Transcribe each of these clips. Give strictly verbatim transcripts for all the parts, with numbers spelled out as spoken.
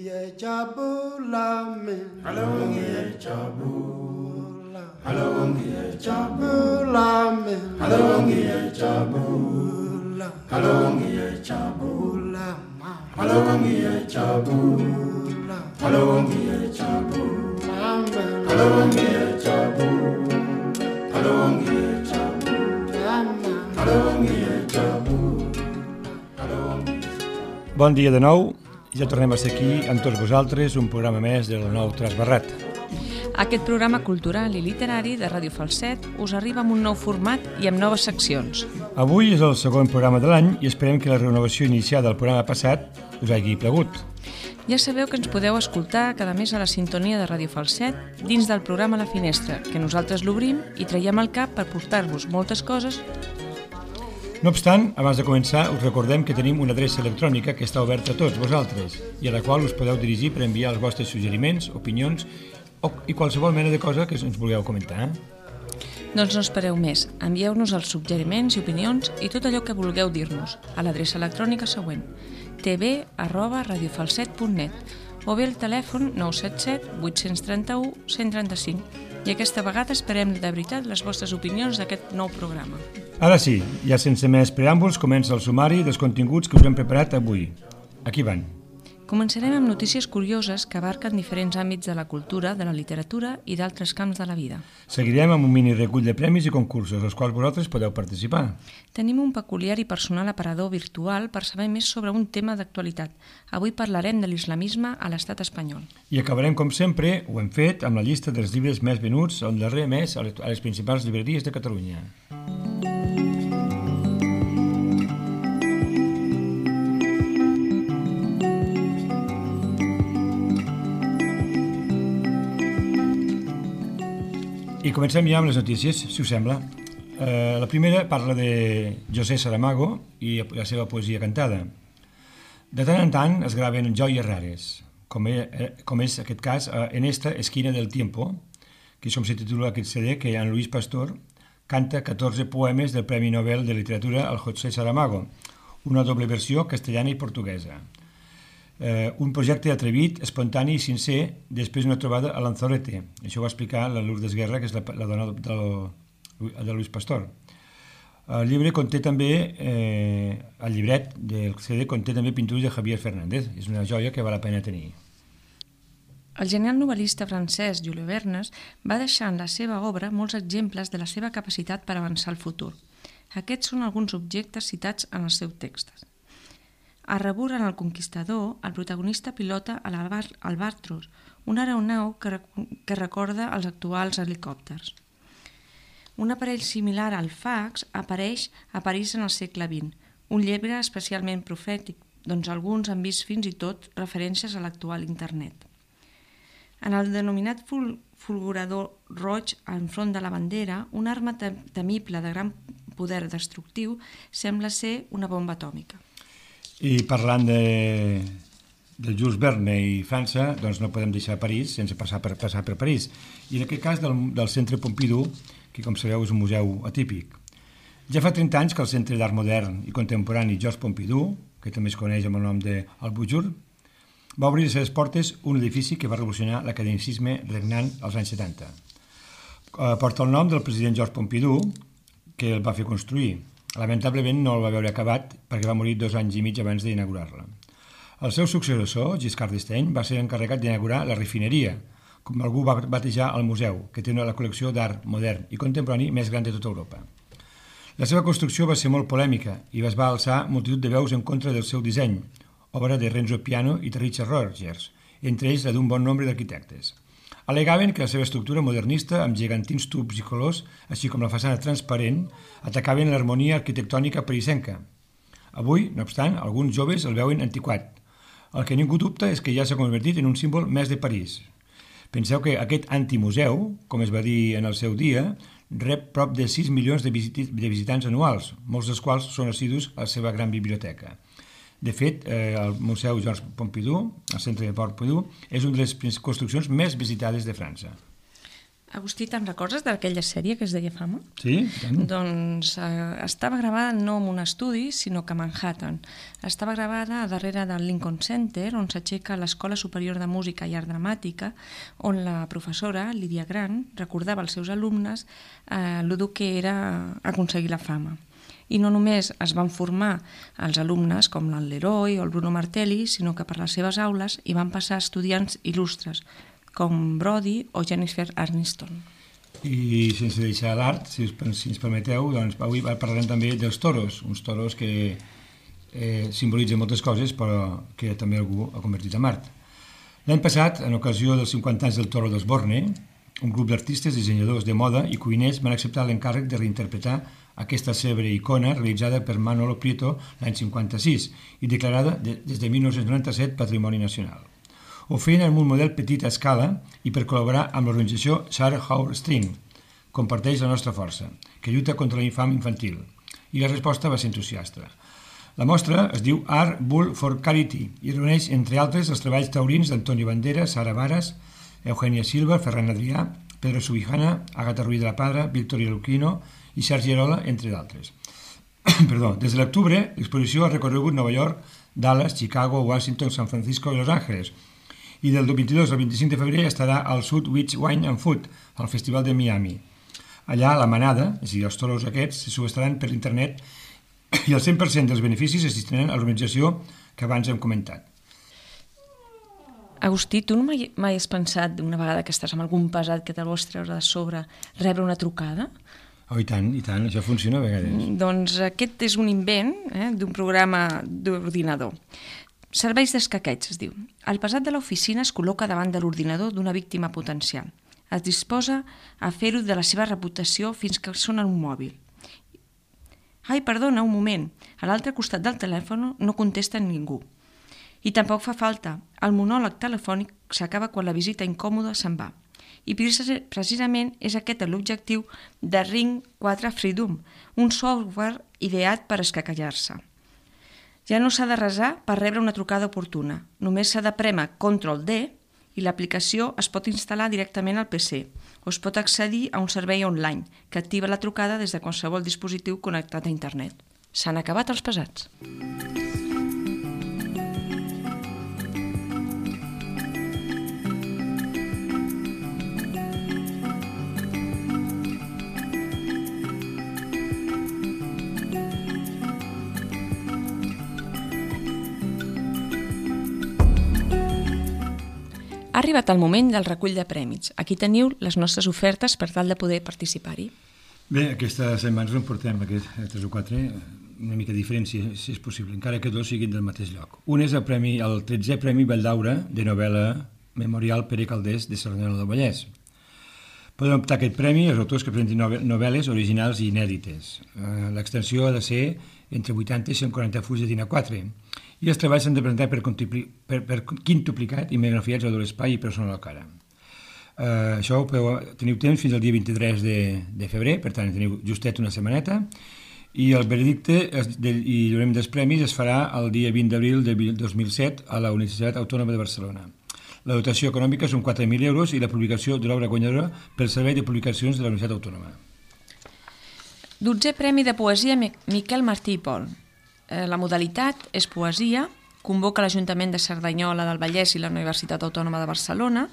ngiyajabula mina Halo ngiyajabula Halo ngiyajabula mina Halo ngiyajabula Halo ngiyajabula Halo ngiyajabula Halo ngiyajabula Halo ngiyajabula Halo ngiyajabula Halo ngiyajabula Bon dia de nou. Ja tornem a ser aquí amb tots vosaltres, un programa més del nou Trasbarrat. Aquest programa cultural i literari de Ràdio Falset us arriba amb un nou format i amb noves seccions. Avui és el segon programa de l'any i esperem que la renovació iniciada del programa passat us hagi plagut. Ja sabeu que ens podeu escoltar cada mes a la sintonia de Ràdio Falset dins del programa La Finestra, que nosaltres l'obrim i traiem al cap per portar-vos moltes coses. No obstant, abans de començar, us recordem que tenim una adreça electrònica que està oberta a tots vosaltres i a la qual us podeu dirigir per enviar els vostres suggeriments, opinions o, i qualsevol mena de cosa que ens vulgueu comentar. Doncs no espereu més. Envieu-nos els suggeriments i opinions i tot allò que vulgueu dir-nos a l'adreça electrònica següent te ve arroba radiofalset punt net o bé el telèfon nou set set vuit tres u un cent trenta-cinc. I aquesta vegada esperem de veritat les vostres opinions d'aquest nou programa. Ara sí, ja sense més preàmbuls, comença el sumari dels continguts que us hem preparat avui. Aquí van. Començarem amb notícies curioses que abarquen diferents àmbits de la cultura, de la literatura i d'altres camps de la vida. Seguirem amb un mini recull de premis i concursos, als quals vosaltres podeu participar. Tenim un peculiar i personal aparador virtual per saber més sobre un tema d'actualitat. Avui parlarem de l'islamisme a l'estat espanyol. I acabarem, com sempre, ho hem fet, amb la llista dels llibres més venuts el darrer mes a les principals llibreries de Catalunya. I comencem ja amb les notícies, si us sembla. Eh, la primera parla de José Saramago i la seva poesia cantada. De tant en tant es graven joies rares, com és, com és aquest cas en esta esquina del tiempo, que és com se titula aquest C D, que en Luis Pastor canta catorze poemes del Premi Nobel de Literatura al José Saramago, una doble versió castellana i portuguesa. Eh, un projecte atrevit, espontani i sincer després d'una trobada a Lanzarote. Això ho va explicar la Lourdes Guerra, que és la, la dona del, de Luis Pastor. El llibre conté també, eh, el llibret del C D conté també pintures de Javier Fernández. És una joia que val la pena tenir. El genial novel·lista francès Jules Verne va deixar en la seva obra molts exemples de la seva capacitat per avançar al futur. Aquests són alguns objectes citats en els seus textos. A rebord en el Conquistador, el protagonista pilota a l'Albatros, una aeronau que, rec que recorda els actuals helicòpters. Un aparell similar al fax apareix a París en el segle vint, un llibre especialment profètic, doncs alguns han vist fins i tot referències a l'actual internet. En el denominat ful fulgurador roig enfront de la bandera, una arma temible de gran poder destructiu sembla ser una bomba atòmica. I parlant de, de Jules Verne i França, doncs no podem deixar París sense passar per, passar per París. I en aquest cas del, del Centre Pompidou, que com sabeu és un museu atípic. Ja fa trenta anys que el Centre d'Art Modern i Contemporani Georges Pompidou, que també es coneix amb el nom de Albujour, va obrir les seves portes un edifici que va revolucionar l'academicisme regnant als anys setanta. Porta el nom del president Georges Pompidou, que el va fer construir. Lamentablement no el va veure acabat perquè va morir dos anys i mig abans d'inaugurar-la. El seu successor, Giscard d'Estaing, va ser encarregat d'inaugurar la refineria, com algú va batejar el museu, que té la col·lecció d'art modern i contemporani més gran de tota Europa. La seva construcció va ser molt polèmica i es va alçar multitud de veus en contra del seu disseny, obra de Renzo Piano i de Richard Rogers, entre ells la d'un bon nombre d'arquitectes. Al·legaven que la seva estructura modernista, amb gegantins tubs i colors, així com la façana transparent, atacaven l'harmonia arquitectònica parisenca. Avui, no obstant, alguns joves el veuen antiquat. El que ningú dubta és que ja s'ha convertit en un símbol més de París. Penseu que aquest antimuseu, com es va dir en el seu dia, rep prop de sis milions de, visit de visitants anuals, molts dels quals són assidus a la seva gran biblioteca. De fet, eh, el Museu Georges Pompidou, el Centre de Pompidou, és una de les construccions més visitades de França. Agustí, te'n recordes d'aquella sèrie que es deia Fama? Sí? Tant. Doncs eh, estava gravada no en un estudi, sinó que a Manhattan. Estava gravada a darrere del Lincoln Center, on s'aixeca l'Escola Superior de Música i Art Dramàtica, on la professora, Lydia Grant, recordava als seus alumnes eh, el dur que era aconseguir la fama. I no només es van formar els alumnes com el Leroy o el Bruno Martelli, sinó que per les seves aules hi van passar estudiants il·lustres, com Brody o Jennifer Aniston. I sense deixar l'art, si, si ens permeteu, doncs avui parlarem també dels toros, uns toros que eh, simbolitzen moltes coses, però que també algú ha convertit en art. L'any passat, en ocasió dels cinquanta anys del Toro d'Osborne, un grup d'artistes, dissenyadors de moda i cuiners van acceptar l'encàrrec de reinterpretar aquesta cèlebre icona realitzada per Manolo Prieto l'any cinquanta-sis i declarada de, des de mil nou-cents noranta-set Patrimoni Nacional. Ho feien en un model petit a escala i per col·laborar amb l'organització Sarah Howard String, Comparteix la nostra força, que lluita contra l'infam infantil. I la resposta va ser entusiasta. La mostra es diu Art Bull for Charity i reuneix, entre altres, els treballs taurins d'Antonio Banderas, Sara Varas, Eugenia Silva, Ferran Adrià, Pedro Subijana, Agata Ruiz de la Padra, Victoria Luquino i Sergi Arola, entre d'altres. Perdó, des de l'octubre, l'exposició ha recorregut Nova York, Dallas, Chicago, Washington, San Francisco i Los Angeles, i del vint-i-dos al vint-i-cinc de febrer estarà al Sud Beach Wine and Food, al Festival de Miami. Allà la manada, és a dir, els toros aquests, se subestaran per internet i el cent per cent dels beneficis es destinaran a l'organització que abans hem comentat. Agustí, tu no mai, mai has pensat, una vegada que estàs amb algun pesat que te'l vols treure de sobre, rebre una trucada? Oh, i tant, i tant, això funciona a vegades. Doncs aquest és un invent eh, d'un programa d'ordinador. Serveis d'escaqueig, es diu. El pesat de l'oficina es col·loca davant de l'ordinador d'una víctima potencial. Es disposa a fer-ho de la seva reputació fins que sona un mòbil. Ai, perdona, un moment. A l'altre costat del telèfon no contesta ningú. I tampoc fa falta. El monòleg telefònic s'acaba quan la visita incòmoda se'n va. I precisament és aquest l'objectiu de Ring quatre Freedom, un software ideat per escacallar-se. Ja no s'ha de resar per rebre una trucada oportuna. Només s'ha de prémer control D i l'aplicació es pot instal·lar directament al P C o es pot accedir a un servei online que activa la trucada des de qualsevol dispositiu connectat a internet. S'han acabat els pesats. Ha arribat el moment del recull de prèmits. Aquí teniu les nostres ofertes per tal de poder participar-hi. Bé, aquesta setmana en portem aquests tres o quatre, una mica diferents, si, si és possible, encara que dos siguin del mateix lloc. Un és el, premi, el tretzè Premi Vall d'Aura de novel·la Memorial Pere Calders de Cerdanyola del Vallès. Poden optar a aquest premi els autors que presentin novel·les originals i inèdites. L'extensió ha de ser entre vuitanta i cent quaranta fulls de dinar quatre. I els treballs s'han de presentar per, per, per quintuplicat i megagrafiats a l'espai i persona a la cara. Uh, això ho podeu, teniu temps fins al dia vint-i-tres de, de febrer, per tant teniu justet una setmaneta, i el veredicte es, de, i el dels premis es farà el dia vint d'abril de dos mil set a la Universitat Autònoma de Barcelona. La dotació econòmica són quatre mil euros i la publicació de l'obra guanyadora pel Servei de Publicacions de la Universitat Autònoma. Dotzè Premi de Poesia Miquel Martí i Pol. La modalitat és poesia, convoca l'Ajuntament de Cerdanyola del Vallès i la Universitat Autònoma de Barcelona,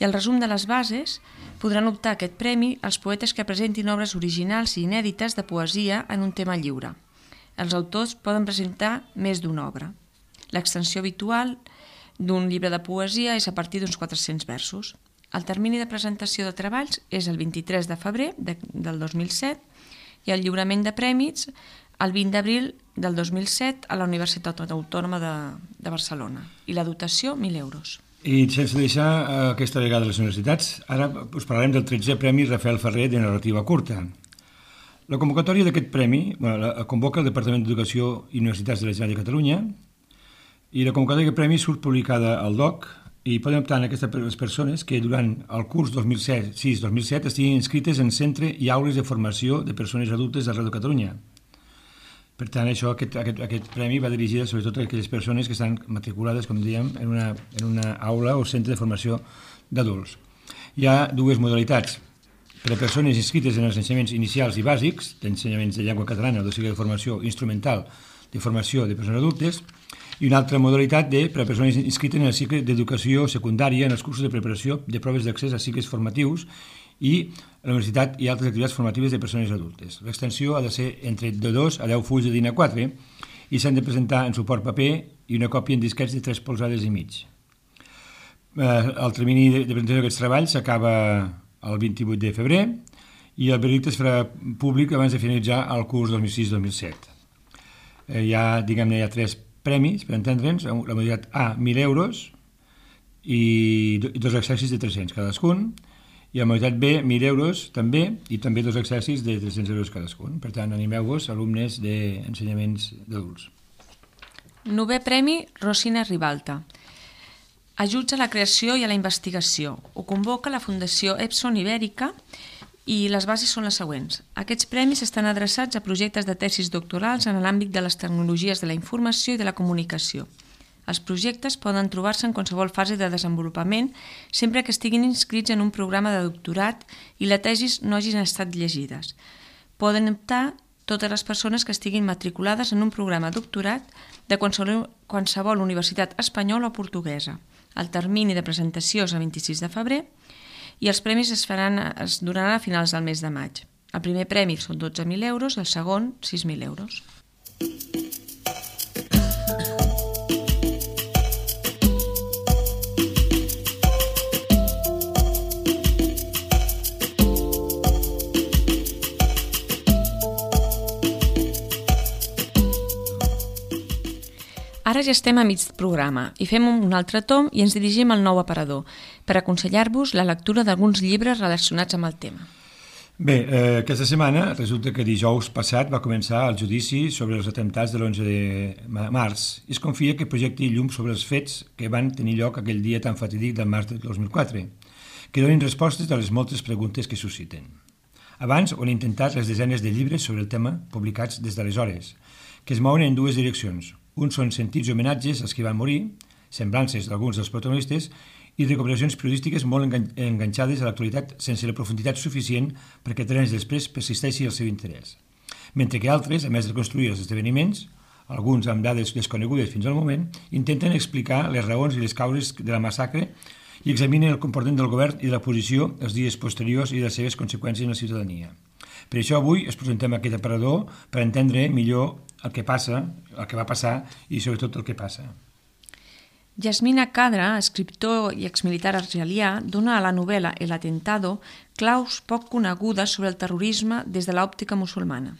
i el resum de les bases podran optar a aquest premi els poetes que presentin obres originals i inèdites de poesia en un tema lliure. Els autors poden presentar més d'una obra. L'extensió habitual d'un llibre de poesia és a partir d'uns quatre-cents versos. El termini de presentació de treballs és el vint-i-tres de febrer de, del dos mil set i el lliurament de prèmits el vint d'abril del dos mil set a la Universitat Autònoma de, de Barcelona. I la dotació, mil euros. I sense deixar aquesta vegada les universitats, ara us parlarem del tretzè Premi Rafael Ferrer de narrativa curta. La convocatòria d'aquest premi bueno, la convoca el Departament d'Educació i Universitats de la Generalitat de Catalunya i la convocatòria d'aquest premi surt publicada al D O C i poden optar en aquestes persones que durant el curs dos mil sis dos mil set estiguin inscrites en centre i aules de formació de persones adultes d'arreu de Catalunya. Per tant, això, aquest, aquest, aquest premi va dirigit sobretot a aquelles persones que estan matriculades, com dèiem, en una, en una aula o centre de formació d'adults. Hi ha dues modalitats. Per a persones inscrites en els ensenyaments inicials i bàsics, d'ensenyaments de llengua catalana o de cicle de formació instrumental de formació de persones adultes, i una altra modalitat de per a persones inscrites en el cicle d'educació secundària en els cursos de preparació de proves d'accés a cicles formatius i a la universitat i altres activitats formatives de persones adultes. L'extensió ha de ser entre de dos a deu fulls de dinar quatre i s'han de presentar en suport paper i una còpia en disquets de tres polzades i mig. El termini de presentació d'aquests treballs s'acaba el vint-i-vuit de febrer i el veredicte es farà públic abans de finalitzar el curs dos mil sis dos mil set. Hi ha, diguem-ne, hi ha tres premis, per entendre'ns, la modalitat A, mil euros i dos exercicis de tres-cents cadascun, i la modalitat B, mil euros també, i també dos exercicis de tres-cents euros cadascun. Per tant, animeu-vos, alumnes d'ensenyaments d'adults. Novè premi, Rosina Ribalta. Ajuts a la creació i a la investigació. Ho convoca la Fundació Epson Ibèrica i les bases són les següents. Aquests premis estan adreçats a projectes de tesis doctorals en l'àmbit de les tecnologies de la informació i de la comunicació. Els projectes poden trobar-se en qualsevol fase de desenvolupament sempre que estiguin inscrits en un programa de doctorat i la tesis no hagin estat llegides. Poden optar totes les persones que estiguin matriculades en un programa de doctorat de qualsevol, qualsevol universitat espanyola o portuguesa. El termini de presentació és el vint-i-sis de febrer i els premis es, faran, es donaran a finals del mes de maig. El primer premi són dotze mil euros i el segon sis mil euros. Ara ja estem a mig programa i fem un altre tom i ens dirigim al nou aparador per aconsellar-vos la lectura d'alguns llibres relacionats amb el tema. Bé, eh, aquesta setmana resulta que dijous passat va començar el judici sobre els atemptats de l'onze de març i es confia que projecti llum sobre els fets que van tenir lloc aquell dia tan fatídic del març del dos mil quatre, que donin respostes a les moltes preguntes que susciten. Abans ho han intentat les desenes de llibres sobre el tema publicats des d'aleshores, que es mouen en dues direccions. Uns són sentits homenatges als que van morir, semblances d'alguns dels protagonistes i recuperacions periodístiques molt enganxades a l'actualitat sense la profunditat suficient perquè tres anys després persisteixi el seu interès. Mentre que altres, a més de reconstruir els esdeveniments, alguns amb dades desconegudes fins al moment, intenten explicar les raons i les causes de la massacre i examinen el comportament del govern i de la posició els dies posteriors i les seves conseqüències en la ciutadania. Per això avui us presentem aquest aparador per entendre millor el que passa, el que va passar i sobretot el que passa. Yasmina Kadra, escriptor i exmilitar argelià, dona a la novel·la El atentado claus poc conegudes sobre el terrorisme des de l'òptica musulmana.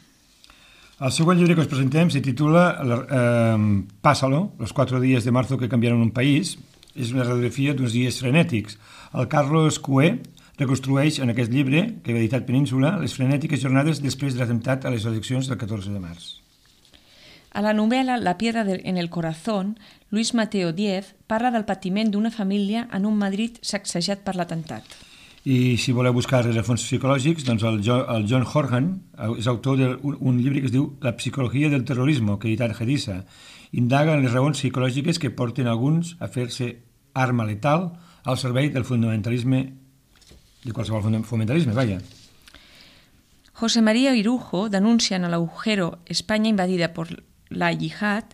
El següent llibre que us presentem se titula eh, Pásalo, los cuatro días de marzo que cambiaron un país. És una radiografia d'uns dies frenètics. El Carlos Cué reconstrueix en aquest llibre, que ha editat Península, les frenètiques jornades després de l'atemptat a les eleccions del catorze de març. A la novel·la La piedra en el corazón, Luis Mateo Diez parla del patiment d'una família en un Madrid sacsejat per l'atemptat. I si voleu buscar rerefons psicològics, doncs el, jo, el John Horgan és autor d'un un llibre que es diu La psicologia del terrorismo, que ha editat Gedisa. Indaga en les raons psicològiques que porten alguns a fer-se arma letal al servei del fundamentalisme, de qualsevol fundamentalisme, vaja. José María Irujo denuncia en el agujero España invadida por la yihad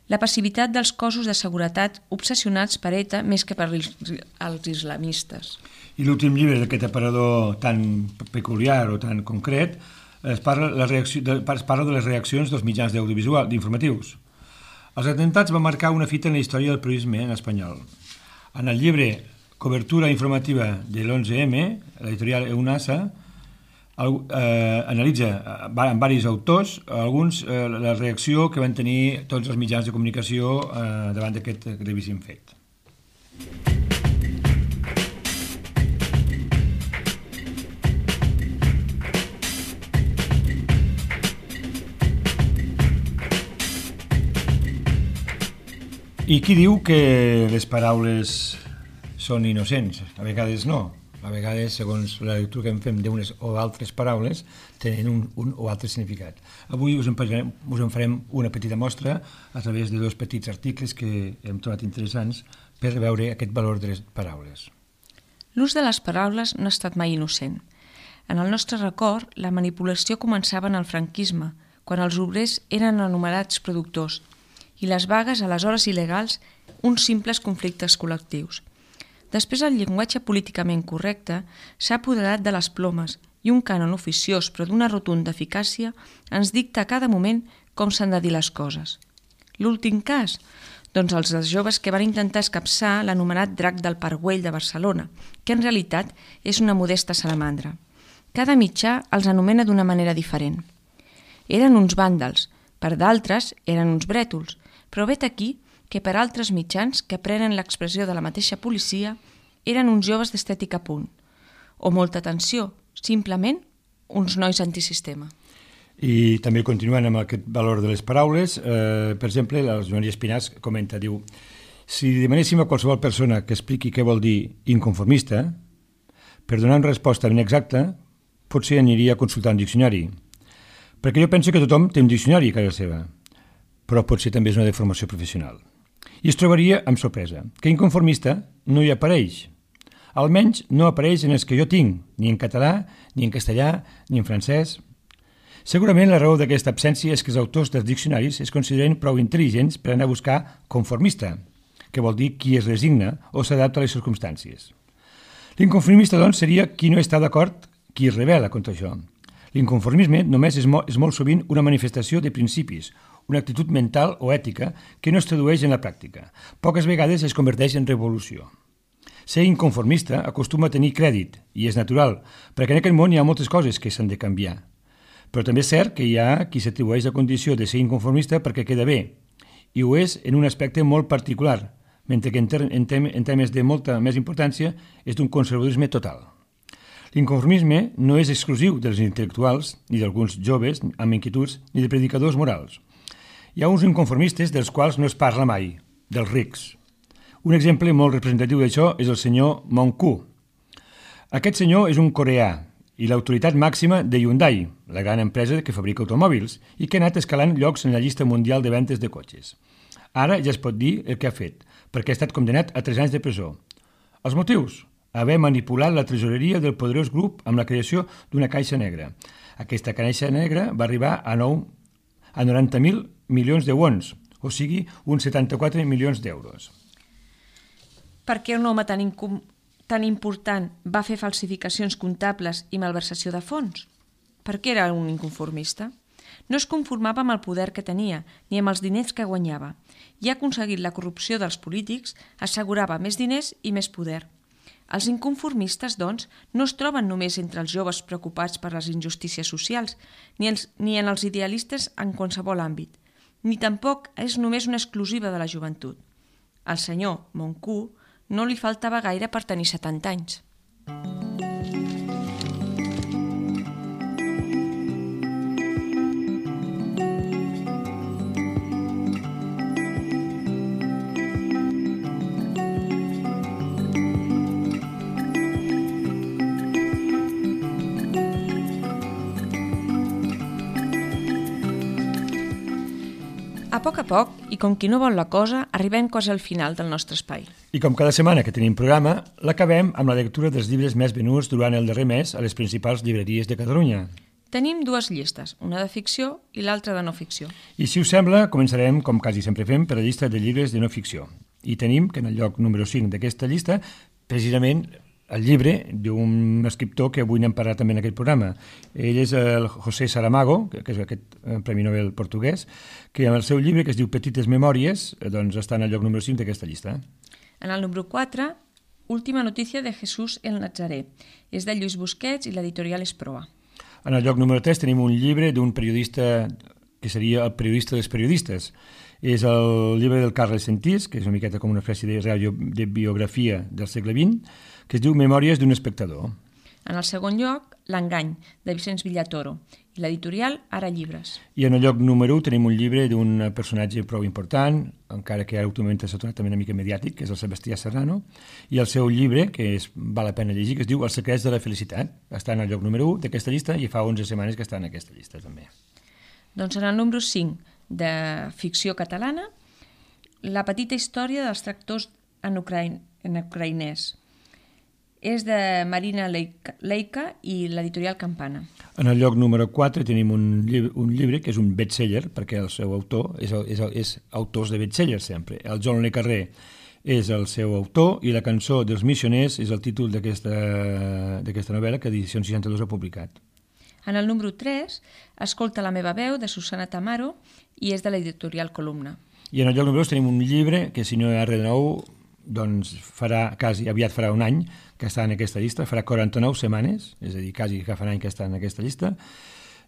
la passivitat dels cossos de seguretat obsessionats per ETA més que per els islamistes. I l'últim llibre d'aquest aparador tan peculiar o tan concret es parla, la reacció, de, es parla de les reaccions dels mitjans d'audiovisual, d'informatius. Els atemptats van marcar una fita en la història del periodisme en espanyol. En el llibre Cobertura informativa de l'onze eme, l'editorial EUNASA, el, eh, analitza eh, amb diversos autors alguns eh, la reacció que van tenir tots els mitjans de comunicació eh, davant d'aquest gravíssim fet. I qui diu que les paraules són innocents? A vegades no. A vegades, segons la lectura que en fem d'unes o altres paraules, tenen un, un o altre significat. Avui us en, parlarem, us en farem una petita mostra a través de dos petits articles que hem trobat interessants per veure aquest valor de les paraules. L'ús de les paraules no ha estat mai innocent. En el nostre record, la manipulació començava en el franquisme, quan els obrers eren anomenats productors, i les vagues, aleshores il·legals, uns simples conflictes col·lectius. Després el llenguatge políticament correcte s'ha apoderat de les plomes i un cànon oficiós però d'una rotunda eficàcia ens dicta a cada moment com s'han de dir les coses. L'últim cas? Doncs els dels joves que van intentar escapçar l'anomenat drac del Parc Güell de Barcelona, que en realitat és una modesta salamandra. Cada mitjà els anomena d'una manera diferent. Eren uns vàndals, per d'altres eren uns brètols, però vet aquí que per altres mitjans que prenen l'expressió de la mateixa policia eren uns joves d'estètica punt. O molta atenció, simplement uns nois antisistema. I també continuant amb aquest valor de les paraules, eh, per exemple, la Joan Maria Espinàs comenta, diu, si demanéssim a qualsevol persona que expliqui què vol dir inconformista, per donar una resposta ben exacta, potser aniria a consultar un diccionari. Perquè jo penso que tothom té un diccionari a casa seva, però potser també és una deformació professional. I es trobaria amb sorpresa que inconformista no hi apareix. Almenys no apareix en els que jo tinc, ni en català, ni en castellà, ni en francès. Segurament la raó d'aquesta absència és que els autors dels diccionaris es consideren prou intel·ligents per anar a buscar conformista, que vol dir qui es resigna o s'adapta a les circumstàncies. L'inconformista, doncs, seria qui no està d'acord, qui es rebel·la contra això. L'inconformisme només és, mo és molt sovint una manifestació de principis, una actitud mental o ètica que no es tradueix en la pràctica. Poques vegades es converteix en revolució. Ser inconformista acostuma a tenir crèdit, i és natural, perquè en aquest món hi ha moltes coses que s'han de canviar. Però també és cert que hi ha qui s'atribueix la condició de ser inconformista perquè queda bé, i ho és en un aspecte molt particular, mentre que en, en, tem en temes de molta més importància és d'un conservadorisme total. L'inconformisme no és exclusiu dels intel·lectuals, ni d'alguns joves amb inquietuds, ni de predicadors morals. Hi ha uns inconformistes dels quals no es parla mai, dels rics. Un exemple molt representatiu d'això és el senyor Mong-Ku. Aquest senyor és un coreà i l'autoritat màxima de Hyundai, la gran empresa que fabrica automòbils, i que ha anat escalant llocs en la llista mundial de ventes de cotxes. Ara ja es pot dir el que ha fet, perquè ha estat condemnat a tres anys de presó. Els motius? Haver manipulat la tresoreria del poderós grup amb la creació d'una caixa negra. Aquesta caixa negra va arribar a, a noranta mil milions de wons, o sigui, uns setanta-quatre milions d'euros. Per què un home tan, tan important va fer falsificacions comptables i malversació de fons? Per què era un inconformista? No es conformava amb el poder que tenia, ni amb els diners que guanyava, i ha aconseguit la corrupció dels polítics, assegurava més diners i més poder. Els inconformistes, doncs, no es troben només entre els joves preocupats per les injustícies socials, ni, els, ni en els idealistes en qualsevol àmbit, ni tampoc és només una exclusiva de la joventut. Al senyor Mong-Ku no li faltava gaire per tenir setanta anys. A poc a poc, i com qui no vol la cosa, arribem quasi al final del nostre espai. I com cada setmana que tenim programa, l'acabem amb la lectura dels llibres més venuts durant el darrer mes a les principals llibreries de Catalunya. Tenim dues llistes, una de ficció i l'altra de no ficció. I si us sembla, començarem, com quasi sempre fem, per la llista de llibres de no ficció. I tenim que en el lloc número cinc d'aquesta llista, precisament el llibre d'un escriptor que avui n'hem parlat també en aquest programa. Ell és el José Saramago, que és aquest Premi Nobel portuguès, que en el seu llibre, que es diu Petites Memòries, doncs està en el lloc número cinc d'aquesta llista. En el número quatre, Última notícia de Jesús el Nazaré. És de Lluís Busquets i l'editorial és Proa. En el lloc número tres tenim un llibre d'un periodista que seria el periodista dels periodistes. És el llibre del Carles Sentís, que és una miqueta com una espècie de, de biografia del segle vint, que es diu Memòries d'un espectador. En el segon lloc, L'engany, de Vicenç Villatoro, i l'editorial Ara Llibres. I en el lloc número u tenim un llibre d'un personatge prou important, encara que ara últimament s'ha tornat també una mica mediàtic, que és el Sebastià Serrano, i el seu llibre, que és, val la pena llegir, que es diu Els secrets de la felicitat. Està en el lloc número u d'aquesta llista i fa onze setmanes que està en aquesta llista també. Doncs en el número cinc de ficció catalana, La petita història dels tractors en, ucraïn, en ucraïnès. És de Marina Leica i l'editorial Campana. En el lloc número quatre tenim un llibre, un llibre que és un bestseller, perquè el seu autor és, és, és autors de bestsellers sempre. El John le Carré és el seu autor i la cançó dels missioners és el títol d'aquesta novel·la que Edicions seixanta-dos ha publicat. En el número tres, Escolta la meva veu, de Susana Tamaro, i és de l'editorial Columna. I en el lloc número dos tenim un llibre que, si no hi ha res de nou, doncs farà, quasi aviat farà un any que està en aquesta llista, farà quaranta-nou setmanes, és a dir, quasi que fa un any que està en aquesta llista.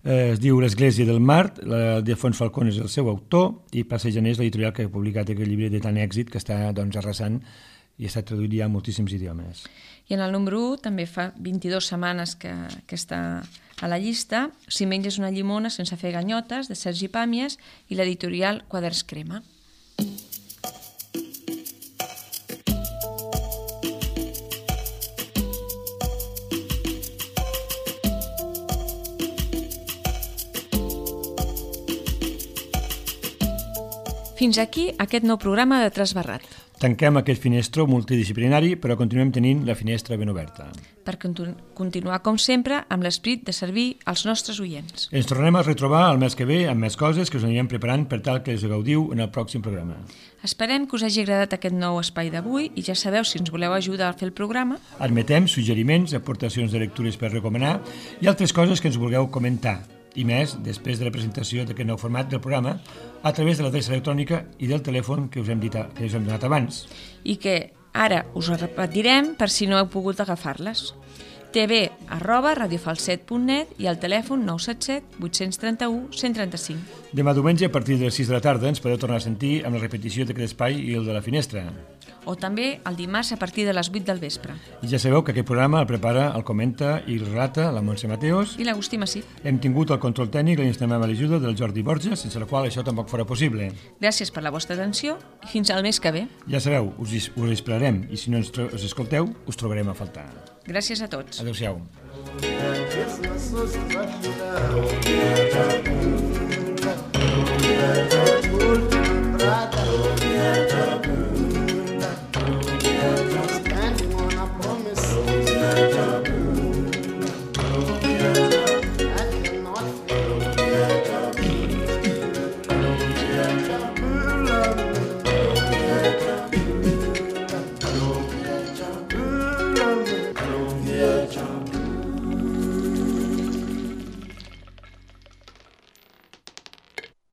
Eh, es diu L'Església del Mar, el Defons Falcón és el seu autor, i Passejaner és l'editorial que ha publicat aquest llibre de tant èxit que està doncs, arrasant i està traduït ja a moltíssims idiomes. I en el número u també fa vint-i-dues setmanes que, que està a la llista, Si menges una llimona sense fer ganyotes, de Sergi Pàmies, i l'editorial Quaderns Crema. Fins aquí aquest nou programa de Trasbarrat. Tanquem aquest finestró multidisciplinari, però continuem tenint la finestra ben oberta. Per continu continuar, com sempre, amb l'esperit de servir als nostres oients. Ens tornarem a retrobar el mes que ve amb més coses que us anirem preparant per tal que us gaudiu en el pròxim programa. Esperem que us hagi agradat aquest nou espai d'avui i ja sabeu, si ens voleu ajudar a fer el programa, admetem suggeriments, aportacions de lectures per recomanar i altres coses que ens vulgueu comentar. I més, després de la presentació d'aquest nou format del programa, a través de l'adreça electrònica i del telèfon que us hem, dit, que us hem donat abans. I que ara us ho repetirem per si no heu pogut agafar-les. tv arroba radiofalset punt net i el telèfon nou set set vuit tres u cent trenta-cinc. Demà diumenge, a partir de les sis de la tarda, ens podeu tornar a sentir amb la repetició d'aquest espai i el de la finestra. O també el dimarts a partir de les vuit del vespre. I ja sabeu que aquest programa el prepara, el comenta i el relata la Montse Mateos. I l'Agustí Massip. Hem tingut el control tècnic i l'instamem a l'ajuda del Jordi Borges, sense la qual això tampoc fora possible. Gràcies per la vostra atenció i fins al mes que ve. Ja sabeu, us, us esperarem i si no ens, us escolteu, us trobarem a faltar. Gràcies a tots. Adéu-siau.